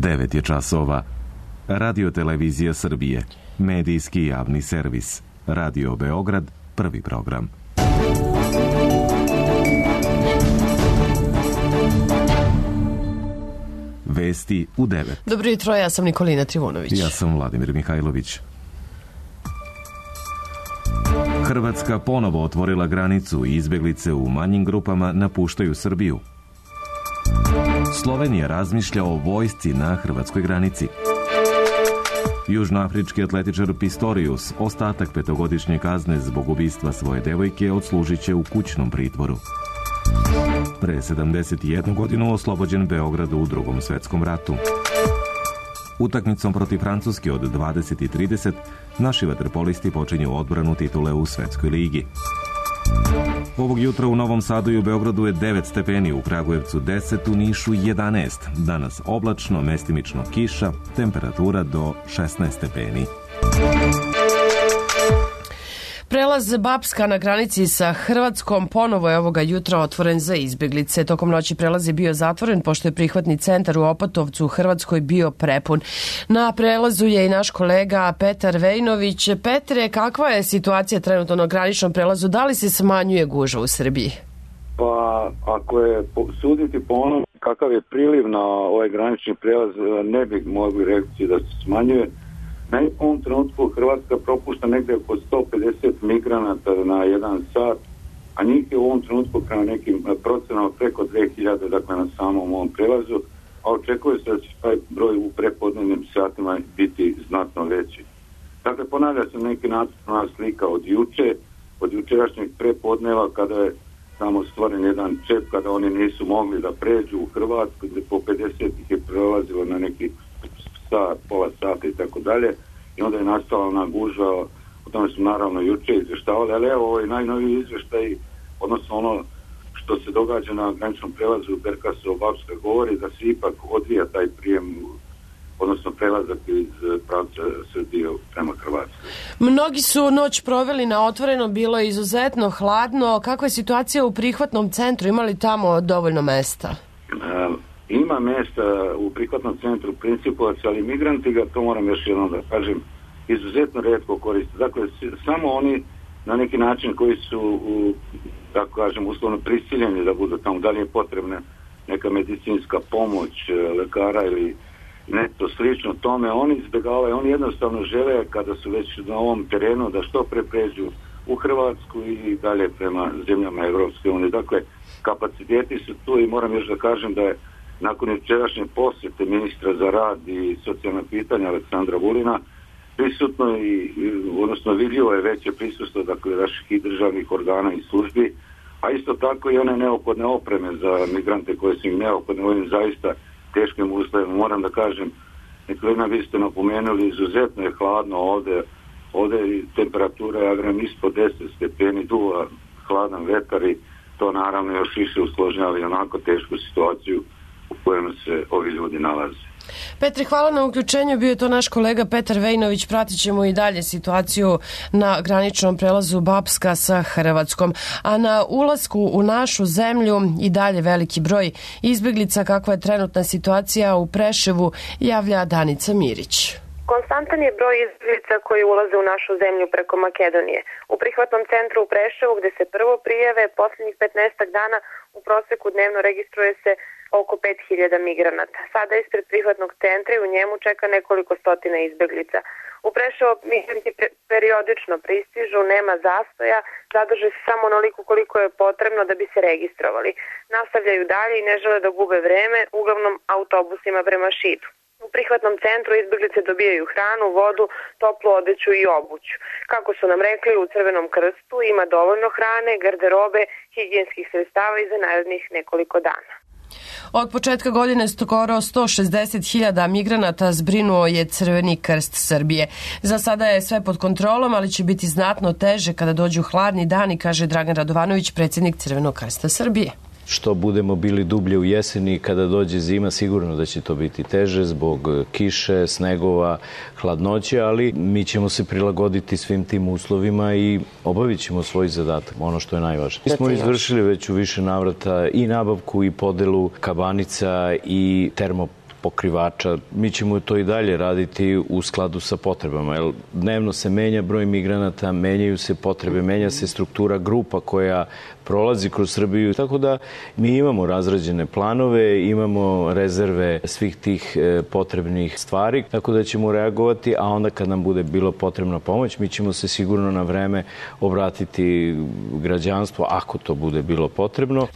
9 je časova. Radio Televizija Srbije. Medijski javni servis. Radio Beograd, prvi program. Vesti u 9. Dobro jutro, ja sam Nikolina Trivunović. Ja sam Vladimir Mihajlović. Hrvatska ponovo otvorila granicu i izbeglice u manjim grupama napuštaju Srbiju. Slovenija razmišlja o vojsci na hrvatskoj granici. Južnoafrički atletičar Pistorius ostatak 5-godišnje kazne zbog ubistva svoje devojke odslužit će u kućnom pritvoru. Pre 71 godinu oslobođen Beograd u Drugom svetskom ratu. Utakmicom protiv Francuske od 20:30 naši vaterpolisti počinju odbranu titule u Svetskoj ligi. Ovog jutra u Novom Sadu i u Beogradu je 9 stepeni, u Kragujevcu 10, u Nišu 11. Danas oblačno, mestimično kiša, temperatura do 16 stepeni. Prelaz Bapska na granici sa Hrvatskom ponovo je ovoga jutra otvoren za izbeglice. Tokom noći prelaz je bio zatvoren pošto je prihvatni centar u Opatovcu u Hrvatskoj bio prepun. Na prelazu je i naš kolega Petar Vejnović. Petre, kakva je situacija trenutno na graničnom prelazu? Da li se smanjuje gužva u Srbiji? Pa, ako je suditi po onom kakav je priliv na ovaj granični prelaz, ne bih mogli reći da se smanjuje. U ovom trenutku Hrvatska propušta negdje oko 150 migranata na jedan sat, a njih je u ovom trenutku prema nekim procenama preko 2000, dakle na samom ovom prelazu, a očekuje se da će taj broj u prepodnevnim satima biti znatno veći. Dakle, ponavlja se neki nacrtna slika od jučerašnjeg prepodneva kada je tamo stvoren jedan čep, kada oni nisu mogli da pređu u Hrvatsku, gdje po 50 ih je prelazilo na neki sat, pola sata i tako dalje, i onda je nastala ona gužva, o tome su naravno juče izveštavali, ali evo ovaj najnoviji izveštaj, odnosno ono što se događa na graničnom prelazu Berkasovo-Bapska govori da se ipak odvija taj prijem, odnosno prelazak iz pravca Srbije prema Hrvatskoj. Mnogi su noć proveli na otvorenom, bilo je izuzetno hladno. Kakva je situacija u prihvatnom centru? Ima li tamo dovoljno mesta? Ima mjesta u prihvatnom centru Principovac, ali migranti ga, to moram još jednom da kažem, izuzetno retko koriste. Dakle, samo oni na neki način koji su, tako kažem, uslovno prisiljeni da budu tamo, da li je potrebna neka medicinska pomoć lekara ili nešto slično tome, oni izbjegavaju, oni jednostavno žele kada su već na ovom terenu da što pre pređu u Hrvatsku i dalje prema zemljama Evropske unije. Dakle, kapaciteti su tu i moram još da kažem da je nakon jučerašnje posjete ministra za rad i socijalna pitanja Aleksandra Vulina prisutno i odnosno vidljivo je veće prisustvo, dakle, naših i državnih organa i službi, a isto tako i one neophodne opreme za migrante koje su im neophodne u ovim zaista teškim uslovima. Moram da kažem, Nikolina, vi ste napomenuli, izuzetno je hladno ovdje je temperatura, ja vjerujem, ispod 10 stepeni, duva hladan vetar i to naravno još više usložnjava i onako tešku situaciju u kojem se ovi ljudi nalaze. Petre, hvala na uključenju. Bio je to naš kolega Petar Vejnović. Pratit ćemo i dalje situaciju na graničnom prelazu Bapska sa Hrvatskom. A na ulasku u našu zemlju i dalje veliki broj izbeglica. Kakva je trenutna situacija u Preševu, javlja Danica Mirić. Konstantan je broj izbeglica koji ulaze u našu zemlju preko Makedonije. U prihvatnom centru u Preševu, gde se prvo prijave, posljednjih 15 dana u proseku dnevno registruje se oko 5000 migranata. Sada ispred prihvatnog centra i u njemu čeka nekoliko stotina izbeglica. U Preševo migranti periodično pristižu, nema zastoja, zadrže se samo onoliko koliko je potrebno da bi se registrovali. Nastavljaju dalje i ne žele da gube vreme, uglavnom autobusima prema Šidu. U prihvatnom centru izbeglice dobijaju hranu, vodu, toplu odeću i obuću. Kako su nam rekli, u Crvenom krstu ima dovoljno hrane, garderobe, higijenskih sredstava i za narednih nekoliko dana. Od početka godine skoro 160.000 migranata zbrinuo je Crveni krst Srbije. Za sada je sve pod kontrolom, ali će biti znatno teže kada dođu hladni dani, kaže Dragan Radovanović, predsjednik Crvenog krsta Srbije. Što budemo bili dublje u jeseni, kada dođe zima, sigurno da će to biti teže zbog kiše, snegova, hladnoće, ali mi ćemo se prilagoditi svim tim uslovima i obavit ćemo svoj zadatak, ono što je najvažnije. Mi smo izvršili već u više navrata i nabavku i podelu kabanica i pokrivača. Mi ćemo to i dalje raditi u skladu sa potrebama. Jer dnevno se menja broj migranata, menjaju se potrebe, menja se struktura grupa koja prolazi kroz Srbiju. Tako da mi imamo razrađene planove, imamo rezerve svih tih potrebnih stvari, tako da ćemo reagovati, a onda kad nam bude bilo potrebna pomoć, mi ćemo se sigurno na vreme obratiti građanstvu ako to bude bilo potrebno.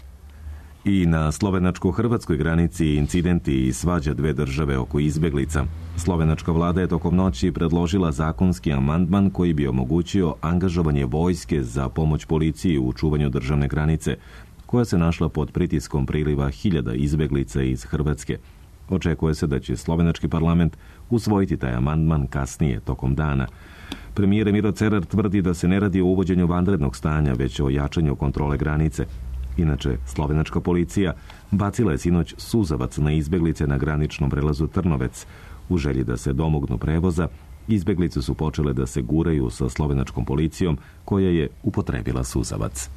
I na slovenačko-hrvatskoj granici incidenti i svađa dve države oko izbeglica. Slovenačka vlada je tokom noći predložila zakonski amandman koji bi omogućio angažovanje vojske za pomoć policiji u čuvanju državne granice, koja se našla pod pritiskom priliva hiljada izbeglica iz Hrvatske. Očekuje se da će slovenački parlament usvojiti taj amandman kasnije tokom dana. Premijer Miro Cerar tvrdi da se ne radi o uvođenju vanrednog stanja, već o jačanju kontrole granice. Inače, slovenačka policija bacila je sinoć suzavac na izbeglice na graničnom prelazu Trnovec. U želji da se domognu prevoza, izbeglice su počele da se guraju sa slovenačkom policijom, koja je upotrebila suzavac.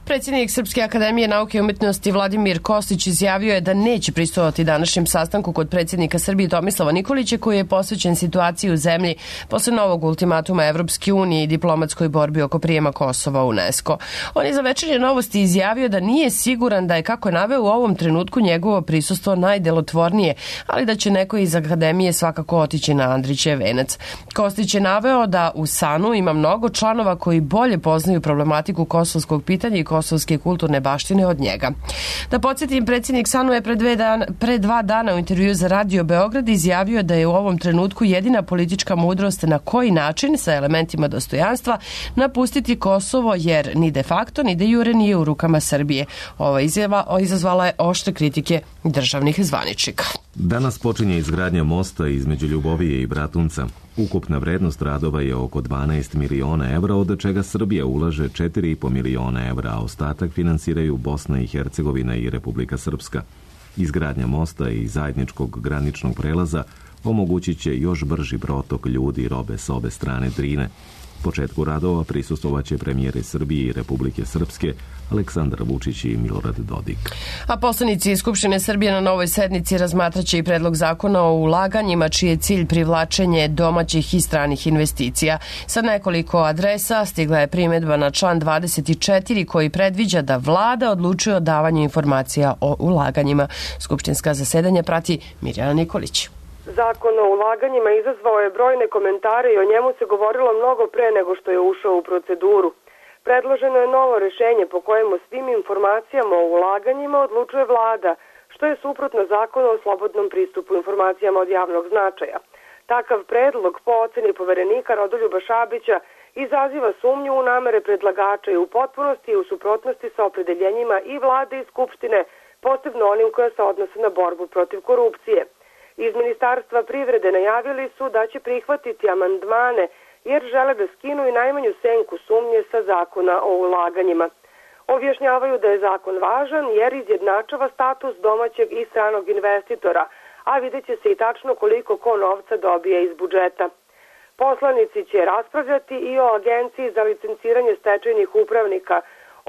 Predsjednik Srpske akademije nauke i umjetnosti Vladimir Kostić izjavio je da neće prisustvovati današnjem sastanku kod predsjednika Srbije Tomislava Nikolića, koji je posvećen situaciji u zemlji posle novog ultimatuma Evropske unije i diplomatskoj borbi oko prijema Kosova u UNESCO. On je za Večernje novosti izjavio da nije siguran da je, kako je naveo, u ovom trenutku njegovo prisustvo najdelotvornije, ali da će neko iz akademije svakako otići na Andrićev venac. Kostić je naveo da u SANU ima mnogo članova koji bolje poznaju problematiku kosovskog pitanja i kosovske kulturne baštine od njega. Da podsjetim, predsjednik SANU je pre 2 dana u intervju za Radio Beograd izjavio da je u ovom trenutku jedina politička mudrost na koji način, sa elementima dostojanstva, napustiti Kosovo, jer ni de facto ni de jure nije u rukama Srbije. Ova izjava izazvala je oštre kritike državnih zvaničnika. Danas počinje izgradnja mosta između Ljubovije i Bratunca. Ukupna vrednost radova je oko 12 miliona evra, od čega Srbija ulaže 4,5 miliona evra, a ostatak finansiraju Bosna i Hercegovina i Republika Srpska. Izgradnja mosta i zajedničkog graničnog prelaza omogućit će još brži protok ljudi i robe s obe strane Drine. Početku radova prisustvovaće premijeri Srbije i Republike Srpske Aleksandar Vučić i Milorad Dodik. A poslanici Skupštine Srbije na novoj sednici razmatraće i predlog zakona o ulaganjima, čiji je cilj privlačenje domaćih i stranih investicija. Sa nekoliko adresa stigla je primjedba na član 24 koji predviđa da vlada odlučuje o davanju informacija o ulaganjima. Skupštinska zasedanja prati Mirjana Nikolić. Zakon o ulaganjima izazvao je brojne komentare i o njemu se govorilo mnogo pre nego što je ušao u proceduru. Predloženo je novo rešenje po kojemu svim informacijama o ulaganjima odlučuje vlada, što je suprotno zakonu o slobodnom pristupu informacijama od javnog značaja. Takav predlog, po oceni poverenika Rodoljuba Šabića, izaziva sumnju u namere predlagača i u potpunosti i u suprotnosti sa opredeljenjima i vlade i Skupštine, posebno onim koja se odnose na borbu protiv korupcije. Iz Ministarstva privrede najavili su da će prihvatiti amandmane jer žele da skinu i najmanju senku sumnje sa zakona o ulaganjima. Objašnjavaju da je zakon važan jer izjednačava status domaćeg i stranog investitora, a vidjet će se i tačno koliko ko novca dobije iz budžeta. Poslanici će raspravljati i o Agenciji za licenciranje stečajnih upravnika,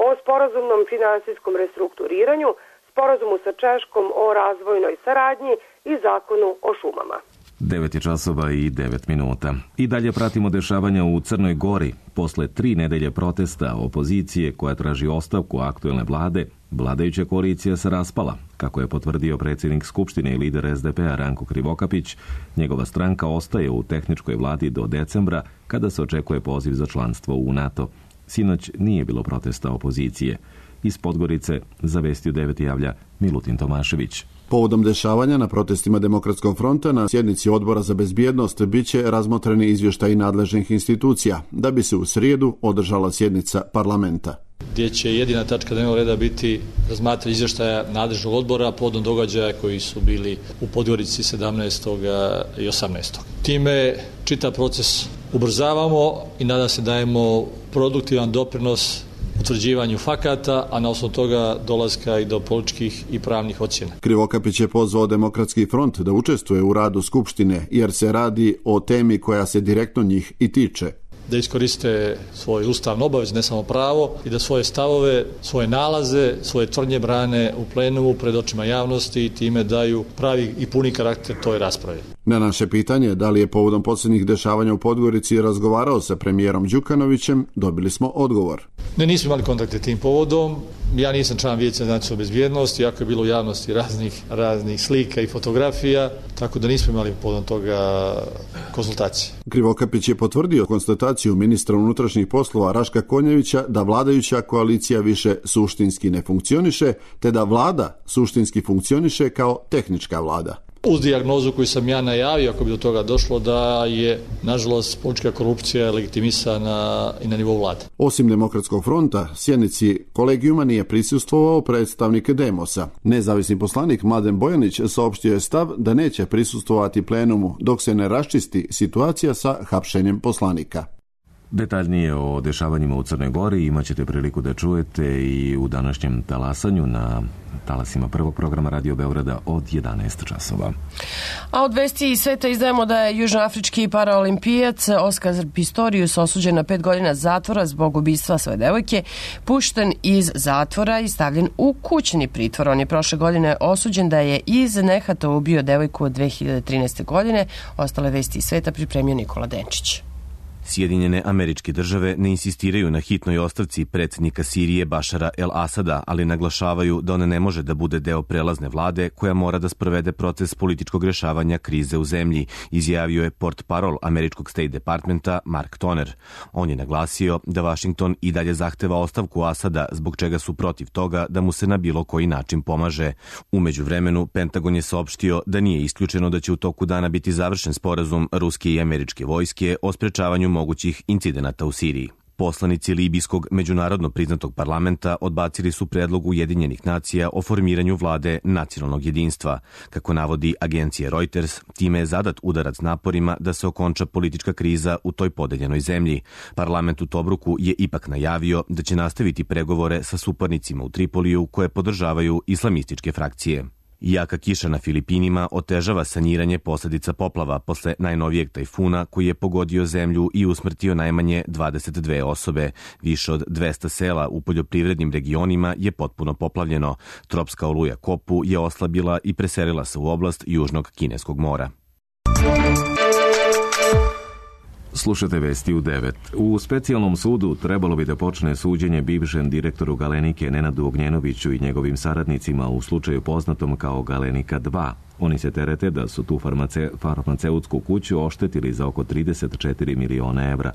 o sporazumnom finansijskom restrukturiranju, sporazumu sa Češkom o razvojnoj saradnji i zakonu o šumama. 9 časova i 9 minuta. I dalje pratimo dešavanja u Crnoj Gori. Posle 3 nedelje protesta opozicije koja traži ostavku aktuelne vlade, vladajuća koalicija se raspala. Kako je potvrdio predsjednik Skupštine i lider SDP-a Ranko Krivokapić, njegova stranka ostaje u tehničkoj vladi do decembra, kada se očekuje poziv za članstvo u NATO. Sinoć nije bilo protesta opozicije. Iz Podgorice za Vesti u 9 javlja Milutin Tomašević. Povodom dešavanja na protestima Demokratskog fronta na sjednici Odbora za bezbjednost biće razmotreni izvještaji nadležnih institucija, da bi se u srijedu održala sjednica parlamenta. Gdje će jedina tačka dnevnog reda biti razmatranje izvještaja nadležnog odbora povodom događaja koji su bili u Podgorici 17. i 18. Time čitav proces ubrzavamo i nadam se dajemo produktivan doprinos utvrđivanju fakata, a na osnovu toga dolaska i do političkih i pravnih ocjena. Krivokapić je pozvao Demokratski front da učestvuje u radu Skupštine, jer se radi o temi koja se direktno njih i tiče. da iskoriste svoje ustavno obaveze, ne samo pravo, i da svoje stavove, svoje nalaze, svoje tvrdnje brane u plenumu pred očima javnosti i time daju pravi i puni karakter toj raspravi. Na naše pitanje da li je povodom posljednjih dešavanja u Podgorici razgovarao sa premijerom Đukanovićem, dobili smo odgovor. Ne, nismo imali kontakte tim povodom. Ja nisam član Vijeća za nacionalnu bezbjednost, iako je bilo u javnosti raznih slika i fotografija, tako da nismo imali povodom toga konsultacije. Krivokapić je potvrdio konstataciju ministra unutrašnjih poslova Raška Konjevića da vladajuća koalicija više suštinski ne funkcioniše, te da vlada suštinski funkcioniše kao tehnička vlada. Uz dijagnozu koju sam ja najavio, ako bi do toga došlo, da je, nažalost, politička korupcija legitimisana i na nivou vlade. Osim Demokratskog fronta, sjednici kolegijuma nije prisustvovao predstavnik Demosa. Nezavisni poslanik Mladen Bojanić saopštio je stav da neće prisustvovati plenumu dok se ne raščisti situacija sa hapšenjem poslanika. Detaljnije o dešavanjima u Crnoj Gori imat ćete priliku da čujete i u današnjem talasanju na talasima prvog programa Radio Beograda od 11 časova. A od vesti iz sveta izdajemo da je južnoafrički paraolimpijac Oskar Pistorius osuđen na 5 godina zatvora zbog ubistva svoje devojke, pušten iz zatvora i stavljen u kućni pritvor. On je prošle godine osuđen da je iz nehata ubio devojku od 2013. godine. Ostale vesti iz sveta pripremio Nikola Denčić. Sjedinjene Američke Države ne insistiraju na hitnoj ostavci predsjednika Sirije Bašara el-Asada, ali naglašavaju da ona ne može da bude deo prelazne vlade koja mora da sprovede proces političkog rješavanja krize u zemlji, izjavio je portparol američkog State Departmenta Mark Toner. On je naglasio da Washington i dalje zahteva ostavku Asada, zbog čega su protiv toga da mu se na bilo koji način pomaže. U međuvremenu, Pentagon je saopštio da nije isključeno da će u toku dana biti završen sporazum ruske i američke vojske o sprečavanju mogućih incidenata u Siriji. Poslanici libijskog međunarodno priznatog parlamenta odbacili su predlog Ujedinjenih nacija o formiranju vlade nacionalnog jedinstva. Kako navodi agencija Reuters, time je zadat udarac naporima da se okonča politička kriza u toj podeljenoj zemlji. Parlament u Tobruku je ipak najavio da će nastaviti pregovore sa suparnicima u Tripoliju koje podržavaju islamističke frakcije. Jaka kiša na Filipinima otežava saniranje posljedica poplava posle najnovijeg tajfuna koji je pogodio zemlju i usmrtio najmanje 22 osobe. Više od 200 sela u poljoprivrednim regionima je potpuno poplavljeno. Tropska oluja Kopu je oslabila i preselila se u oblast Južnog Kineskog mora. Slušate vesti u 9. U specijalnom sudu trebalo bi da počne suđenje bivšem direktoru Galenike Nenadu Ognjenoviću i njegovim saradnicima u slučaju poznatom kao Galenika 2. Oni se terete da su tu farmaceutsku kuću oštetili za oko 34 miliona evra.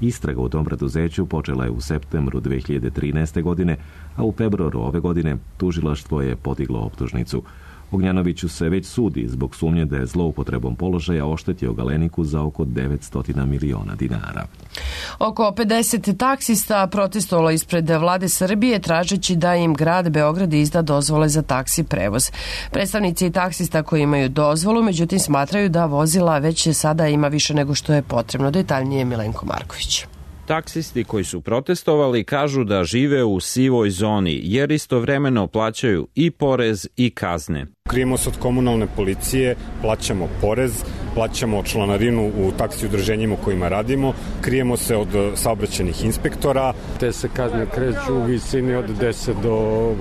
Istraga u tom preduzeću počela je u septembru 2013. godine, a u februaru ove godine tužilaštvo je podiglo optužnicu. Ognjanoviću se već sudi zbog sumnje da je zloupotrebom položaja oštetio Galeniku za oko 900 miliona dinara. Oko 50 taksista protestovalo ispred vlade Srbije tražeći da im grad Beograd izda dozvole za taksi prevoz. Predstavnici taksista koji imaju dozvolu, međutim smatraju da vozila već sada ima više nego što je potrebno. Detaljnije Milenko Marković. Taksisti koji su protestovali kažu da žive u sivoj zoni jer istovremeno plaćaju i porez i kazne. Krijemo se od komunalne policije, plaćamo porez, plaćamo članarinu u taksi udruženjima u kojima radimo, krijemo se od saobraćajnih inspektora. Te se kazne kreću u visini od 10 do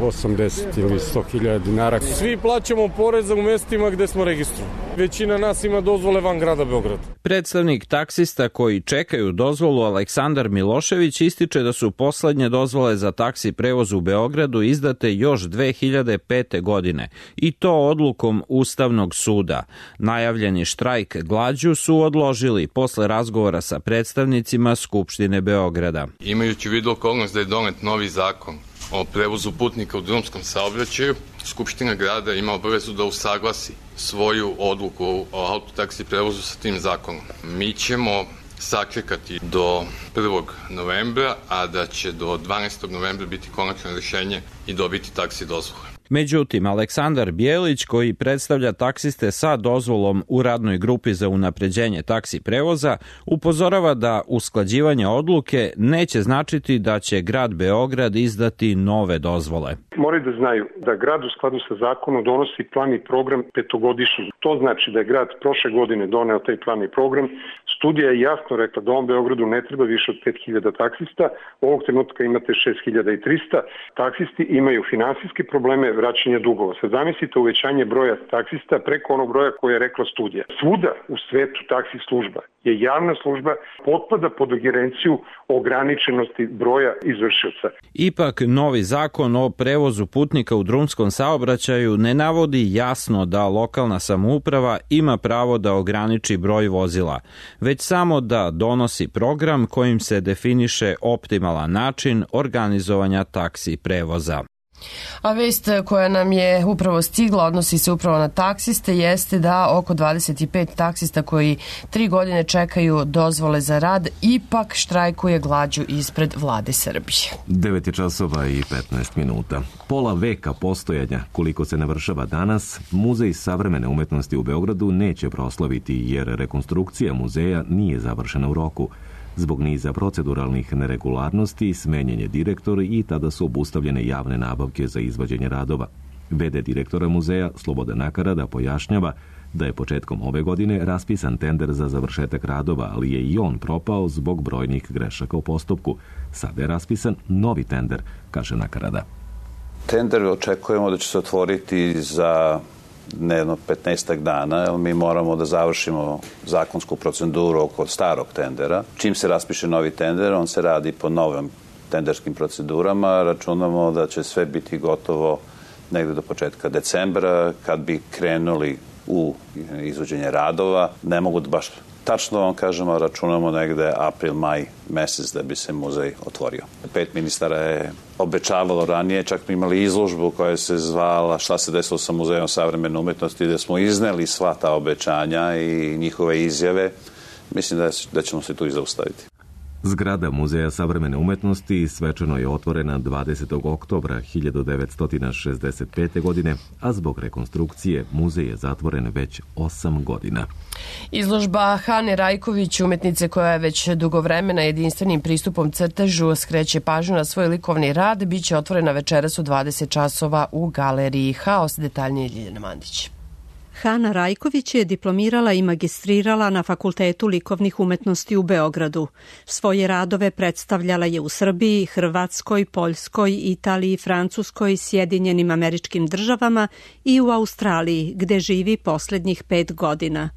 80 ili 100.000 dinara. Svi plaćamo poreza u mestima gde smo registrovani. Većina nas ima dozvole van grada Beograda. Predstavnik taksista koji čekaju dozvolu Aleksandar Milošević ističe da su poslednje dozvole za taksi prevoz u Beogradu izdate još 2005. godine i to odlukom Ustavnog suda. Najavljeni štrajk glađu su odložili posle razgovora sa predstavnicima Skupštine Beograda. Imajući u vidu okolnost da je donet novi zakon o prevozu putnika u drumskom saobraćaju, Skupština grada ima obavezu da usaglasi svoju odluku o autotaksi prevozu sa tim zakonom. Mi ćemo sačekati do 1. novembra, a da će do 12. novembra biti konačno rješenje i dobiti taksi dozvole. Međutim, Aleksandar Bijelić, koji predstavlja taksiste sa dozvolom u radnoj grupi za unapređenje taksi prevoza, upozorava da usklađivanje odluke neće značiti da će grad Beograd izdati nove dozvole. Moraju da znaju da grad u skladu sa zakonom donosi plan i program petogodišnji. To znači da je grad prošle godine doneo taj plan i program. Studija je jasno rekla da ovom Beogradu ne treba više od 5000 taksista. Ovog trenutka imate 6300. Taksisti imaju finansijske probleme vraćanja dugova. Sad zamislite uvećanje broja taksista preko onog broja koje je rekla studija. Svuda u svetu taksi služba je javna služba, potpada pod ingerenciju ograničenosti broja izvršioca. Ipak, novi zakon o prevozu putnika u drumskom saobraćaju ne navodi jasno da lokalna samouprava ima pravo da ograniči broj vozila, već samo da donosi program kojim se definiše optimalan način organizovanja taksi prevoza. A vest koja nam je upravo stigla, odnosi se upravo na taksiste, jeste da oko 25 taksista koji 3 godine čekaju dozvole za rad ipak štrajkuje glađu ispred vlade Srbije. 9 časova i 15 minuta. Pola veka postojanja, koliko se navršava danas, Muzej savremene umetnosti u Beogradu neće proslaviti jer rekonstrukcija muzeja nije završena u roku. Zbog niza proceduralnih neregularnosti smenjen je direktor i tada su obustavljene javne nabavke za izvođenje radova. V.d. direktora muzeja Slobodan Nakarada pojašnjava da je početkom ove godine raspisan tender za završetak radova, ali je i on propao zbog brojnih grešaka u postupku. Sada je raspisan novi tender, kaže Nakarada. Tender očekujemo da će se otvoriti za jedno 15 dana, jer mi moramo da završimo zakonsku proceduru oko starog tendera. Čim se raspiše novi tender, on se radi po novim tenderskim procedurama. Računamo da će sve biti gotovo negde do početka decembra, kad bi krenuli u izvođenje radova. Ne mogu da baš tačno vam kažemo, računamo negde april, maj mesec da bi se muzej otvorio. 5 ministara je obećavalo ranije, čak smo imali izložbu koja se zvala Šta se desilo sa Muzejom savremene umetnosti, gde smo izneli sva ta obećanja i njihove izjave. Mislim da ćemo se tu i zaustaviti. Zgrada Muzeja savremene umetnosti svečano je otvorena 20. oktobra 1965. godine, a zbog rekonstrukcije muzej je zatvoren već 8 godina. Izložba Hane Rajković, umetnice koja je već dugo vremena jedinstvenim pristupom crtežu skreće pažnju na svoj likovni rad, biće otvorena večeras u 20 časova u galeriji Haos. Detaljnije Ljiljana Mandić. Hana Rajković je diplomirala i magistrirala na Fakultetu likovnih umetnosti u Beogradu. Svoje radove predstavljala je u Srbiji, Hrvatskoj, Poljskoj, Italiji, Francuskoj, Sjedinjenim Američkim Državama i u Australiji, gde živi poslednjih 5 godina.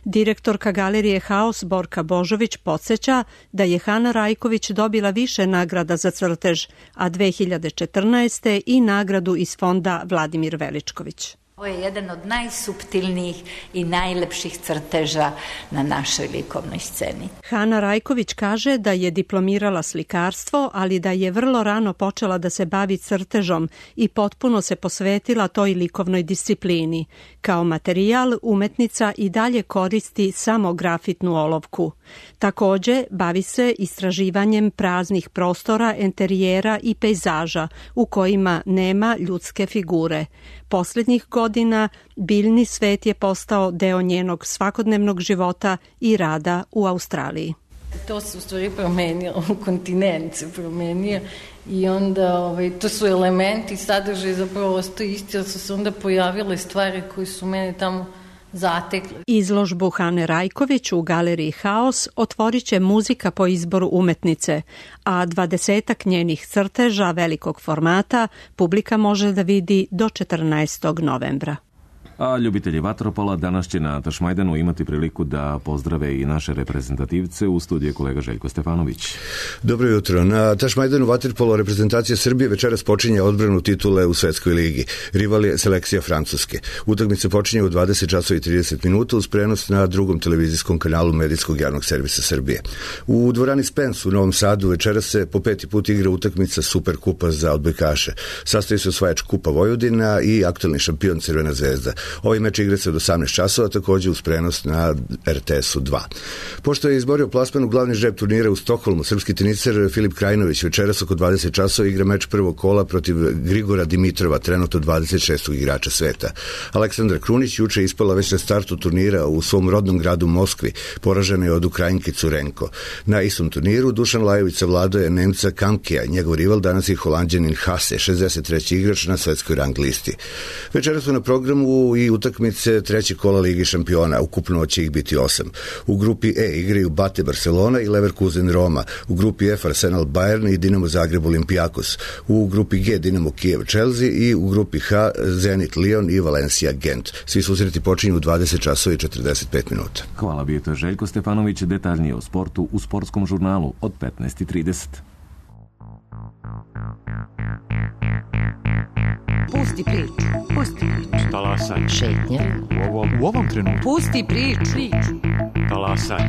Direktorka galerije Haos Borka Božović podsjeća da je Hana Rajković dobila više nagrada za crtež, a 2014. i nagradu iz fonda Vladimir Veličković. Ovo je jedan od najsuptilnijih i najlepših crteža na našoj likovnoj sceni. Hana Rajković kaže da je diplomirala slikarstvo, ali da je vrlo rano počela da se bavi crtežom i potpuno se posvetila toj likovnoj disciplini. Kao materijal umetnica i dalje koristi samo grafitnu olovku. Takođe, bavi se istraživanjem praznih prostora, enterijera i pejzaža u kojima nema ljudske figure. Poslednjih godina biljni svet je postao deo njenog svakodnevnog života i rada u Australiji. To se u stvari promenilo, kontinent se promenio i onda to su elementi, sadržaj zapravo ostaje isti, ali su se onda pojavile stvari koje su mene tamo zatekli. Izložbu Hane Rajković u galeriji Haos otvorit će muzika po izboru umetnice, a 20 njenih crteža velikog formata publika može da vidi do 14. novembra. A ljubitelji vaterpola danas će na Tašmajdanu imati priliku da pozdrave i naše reprezentativce. U studiju kolega Željko Stefanović. Dobro jutro. Na Tašmajdanu vaterpolo reprezentacija Srbije večeras počinje odbranu titule u Svetskoj ligi. Rival je selekcija Francuske. Utakmica počinje u 20 časova i 30 minuta uz prenos na drugom televizijskom kanalu Medijskog javnog servisa Srbije. U dvorani Spens u Novom Sadu večeras se po 5. put igra utakmica Superkupa za odbojkaše. Sastoji se osvajač Kupa Vojvodina i aktuelni šampion Crvena zvezda. Ovaj meč igra se od 18 časova, takođe uz prenos na RTS-u 2. Pošto je izborio plasman u glavni žreb turnira u Stokholmu, srpski teniser Filip Krajinović večeras oko 20 časova igra meč prvog kola protiv Grigora Dimitrova, trenutno 26. igrača sveta. Aleksandra Krunić juče ispala već na startu turnira u svom rodnom gradu Moskvi, poražena je od Ukrajinke Curenko. Na istom turniru Dušan Lajović savladao je Nemca Kamkija, njegov rival danas je Holanđanin Hase, 63. igrač na svetskoj rang listi. Večeras su na programu i utakmice trećeg kola Ligi šampiona, ukupno će ih biti 8. U grupi E igraju Bate Barcelona i Leverkusen Roma, u grupi F Arsenal Bayern i Dinamo Zagreb Olympiakos, u grupi G Dinamo Kijev Chelsea i u grupi H Zenit Lyon i Valencia Gent. Svi susreti počinju u 20 časova i 45 minuta. Hvala, bio to Željko Stefanović, detaljnije o sportu u Sportskom žurnalu od 15:30. Pusti priču. Pusti priču. Talasaj. Šetnja. U ovom trenutku. Pusti priču. Talasaj.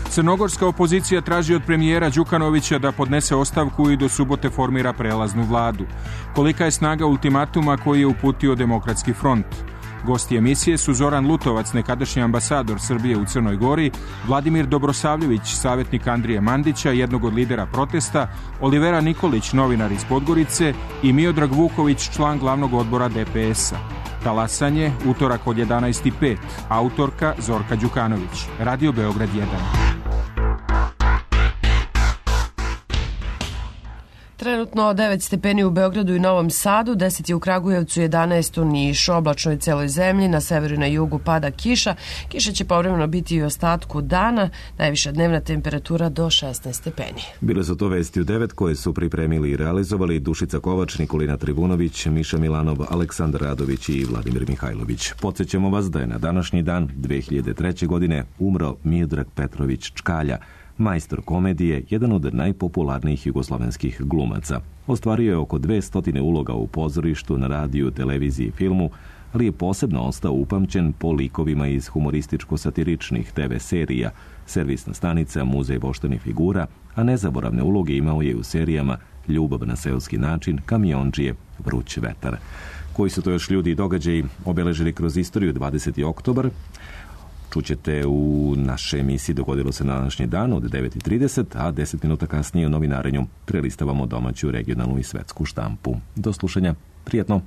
Crnogorska opozicija traži od premijera Đukanovića da podnese ostavku i do subote formira prelaznu vladu. Kolika je snaga ultimatuma koji je uputio Demokratski front? Gosti emisije su Zoran Lutovac, nekadašnji ambasador Srbije u Crnoj Gori, Vladimir Dobrosavljević, savjetnik Andrije Mandića, jednog od lidera protesta, Olivera Nikolić, novinar iz Podgorice i Miodrag Vuković, član glavnog odbora DPS-a. Talasanje, utorak od 11:05, autorka Zorka Đukanović, Radio Beograd 1. Trenutno 9 stepeni u Beogradu i Novom Sadu, 10 je u Kragujevcu, 11 u Nišu, oblačno je celoj zemlji, na severu i na jugu pada kiša. Kiša će povremeno biti i u ostatku dana, najviša dnevna temperatura do 16 stepeni. Bile su to vesti u 9 koje su pripremili i realizovali Dušica Kovač, Nikolina Tribunović, Miša Milanov, Aleksandar Radović i Vladimir Mihajlović. Podsjećamo vas da je na današnji dan 2003. godine umro Miodrag Petrović Čkalja, majstor komedije, jedan od najpopularnijih jugoslovenskih glumaca. Ostvario je oko 200 uloga u pozorištu, na radiju, televiziji i filmu, ali je posebno ostao upamćen po likovima iz humorističko-satiričnih TV serija, servisna stanica, muzej voštanih figura, a nezaboravne uloge imao je u serijama Ljubav na seoski način, Kamiondžije, Vruć vetar. Koji su to još ljudi i događaji obeležili kroz istoriju 20. oktobar? Čućete u našoj emisiji Dogodilo se na današnji dan od 9:30, a 10 minuta kasnije u novinarenju prelistavamo domaću, regionalnu i svetsku štampu. Do slušanja, prijetno!